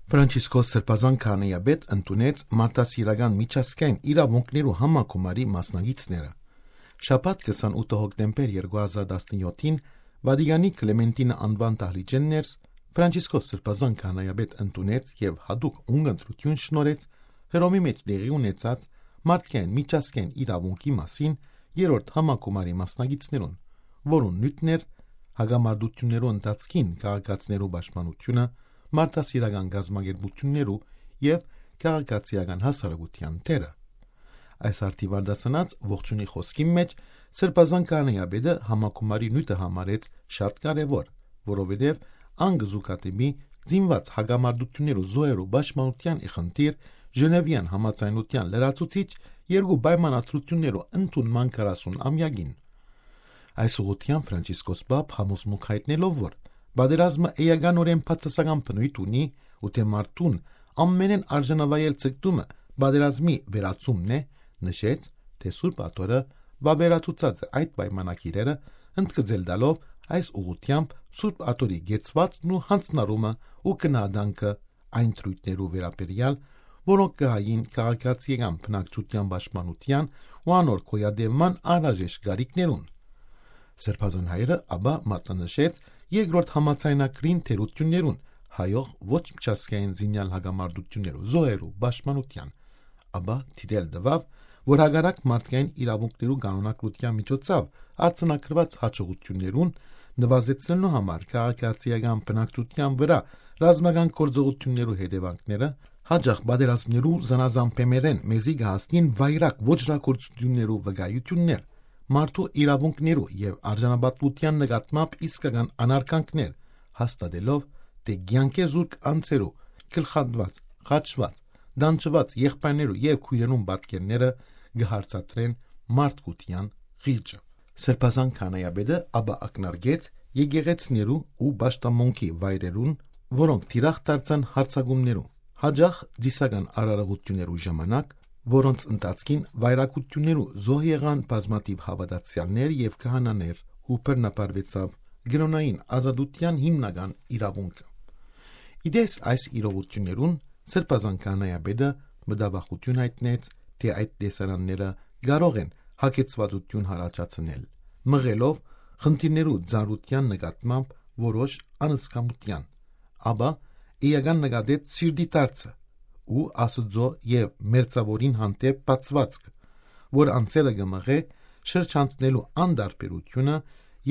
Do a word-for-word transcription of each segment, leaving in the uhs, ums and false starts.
Ֆրանցիսկոս Սրբազան քահանայապետ ընդունեց մարդասիրական միջազգային իրաւունքներու համագումարի մասնակիցները։ Շաբաթ քսանութ հոկտեմբեր երկու հազար տասնյոթին Վատիկանի Կլեմենտինա անուան դահլիճէն ներս Ֆրանցիսկոս Սրբազան քահանայապետ ընդունեց եւ յատուկ ունգընտրութիւն շնորհեց Հռոմի մէջ տեղի ունեցած մարդկային միջազգային իրաւունքի մասին երրորդ համագումարի մասնակիցներուն, որուն նիւթն էր հակամարտութիւններու ընթացքին քաղաքացիներու պաշտպանութիւնը, մարդասիրական կազմակերպութիւններու եւ քաղաքացիական հասարակութեան դերը։ Այս արդիւ արտասանած ողջունի խօսքին մէջ Սրբազան քահանայապետը համագումարի նիւթը համարեց շատ կարեւոր, որովհետեւ ան կը զուգադիպի զինուած հակամարտութիւններու զոհերու պաշտպանութեան ի խնդիր Ժնեւեան համաձայնութեան լրացուցիչ երկու պայմանադրութիւններու ընդունման քառասուն ամեակին։ Այս ուղղութեամբ Ֆրանցիսկոս Պապ համոզմունք յայտնելով, որ պատերազմը էականօրէն բացասական բնոյթ ունի ու թէ մարդուն ամենէն արժանավայել ձգտումը պատերազմի վերացումն է, նշեց, թէ Սուրբ Աթոռը վավերացուցած է այդ պայմանագիրերը, ընդգծել տալով այս ուղղութեամբ Սուրբ Աթոռի կեցուածքն ու յանձնառումը ու գնահատանքը այն դրոյթներու վերաբերեալ, որոնք կը հային քաղաքացիական բնակչութեան պաշտպանութեան ու անոր գոյատեւման անհրաժեշտ կարիքներուն։ Սրբազան հայրը ապա մատնանշեց երկրորդ համաձայնագրին թերութիւններուն հայող ոչ միջազգային զինեալ հակամարտութիւններու զոհերու պաշտպանութեան, ապա դիտել տուաւ, որ հակառակ մարդկային իրաւունքներու կանոնակրութեան միջոցաւ արձանագրուած յաջողութիւններուն, նուազեցնելու համար քաղաքացիական բնակչութեան վրայ ռազմական գործողութիւններու հետեւանքները, յաճախ պատերազմներու զանազան բեմերէն մեզի կը հասնին վայրագ ոճրագործութիւններու վկայութիւններ, մարդու իրաւունքներու եւ արժանապատուութեան նկատմամբ իսկական անարգանքներ, հաստատելով, թէ կեանքէ զուրկ անձերու գլխատուած, խաչուած, դանջուած եղբայրներու եւ քոյրերուն պատկերները կը հարցատրեն մարդկութեան խիղճը։ Սրբազան քահանայապետը ապա ակնարկեց եկեղեցիներու ու պաշտամունքի վայրերուն, որոնք թիրախ դարձան յարձակումներու, յաճախ ծիսական արարողութիւններու ժամանակ, որոնց ընթացքին վայրագութիւններու զոհ եղան բազմաթիւ հաւատացեալներ եւ քահանաներ ու բռնաբարուեցաւ կրօնային ազատութեան հիմնական իրաւունքը։ Ի տես այս իրողութիւններուն, Սրբազան քահանայապետը մտավախութիւն յայտնեց, թէ այդ տեսարանները կարող են հագեցվածութիւն յառաջացնել, մղելով խնդիրներու ծանրութեան նկատմամբ որոշ անսկամութեան, ապա էական նկատեց սիրտի դարձը ու Աստուծոյ եւ մերձաւորին հանդէպ բացուածքը, որ անձերը կը մղէ շրջանցնելու անտարբերութիւնը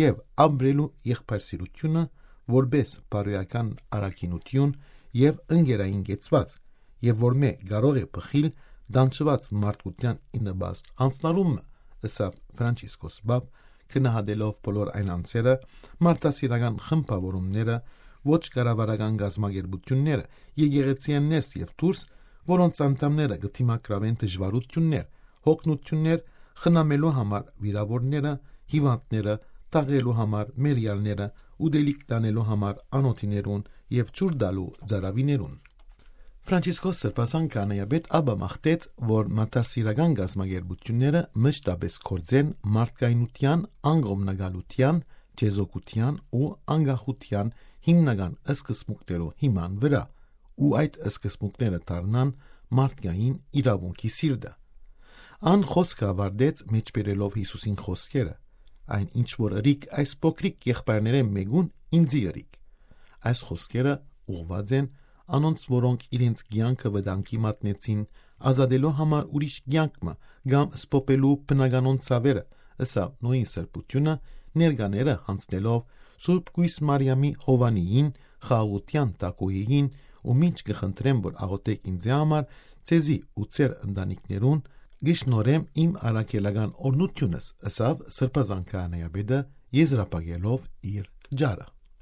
եւ ապրելու եղբայրսիրութիւնը որպէս բարոյական առաքինութիւն եւ ընկերային կեցուածք, եւ որմէ կարող է բխիլ դանջուած մարդկութեան ի նպաստ յանձնառումը, ըսաւ Ֆրանցիսկոս Պապ, գնահատելով բոլոր այն անձերը, մարդասիրական խմբավորումները, ոչ կառավարական կազմակերպութիւնները, եկեղեցիէն ներս եւ դուրս, որոնց անդամները կը դիմագրաւեն դժուարութիւններ, հոգնութիւններ խնամելու համար վիրաւորները, հիւանդները, թաղելու համար մեռեալները, ուտելիք տանելու համար անօթիներուն եւ ջուր տալու ծարաւիներուն։ Ֆրանցիսկոս Սրբազան քահանայապետ ապա մաղթեց, որ մարդասիրական կազմակերպութիւնները մշտապէս գործեն մարդկայնութեան, անկողմնակալութեան, չեզոքութեան ու անկախութեան հիմնական սկզբունքներու հիման վրայ, ու այդ սկզբունքները դառնան մարդկային իրաւունքի սիրտը։ Ան խօսքը աւարտեց՝ մէջբերելով Յիսուսին խօսքերը. «Այն ինչ որ ըրիք այս փոքրիկ եղբայրներէն մէկուն, ինծի ըրիք»։ Այս խօսքերը ուղղուած են անոնց, որոնք իրենց կեանքը վտանգի մատնեցին, ազատելու համար ուրիշ կեանք մը կամ սփոփելու բնականոն ցաւերը, ըսաւ նորին սրբութիւնը, ներկաները յանձնելով Սուրբ Կոյս Մարիամի Յովանիին, խաղաղութեան թագուհիին, ու մինչ կը խնդրեմ, որ աղօթէք ինծի համար, ձեզի ու ձեր ընտանիքներուն, կը շնորհեմ իմ առաքելական օրհնութիւնս, ըսաւ Սրբազան քահանայապետը, եզրափակելով իր ճառը։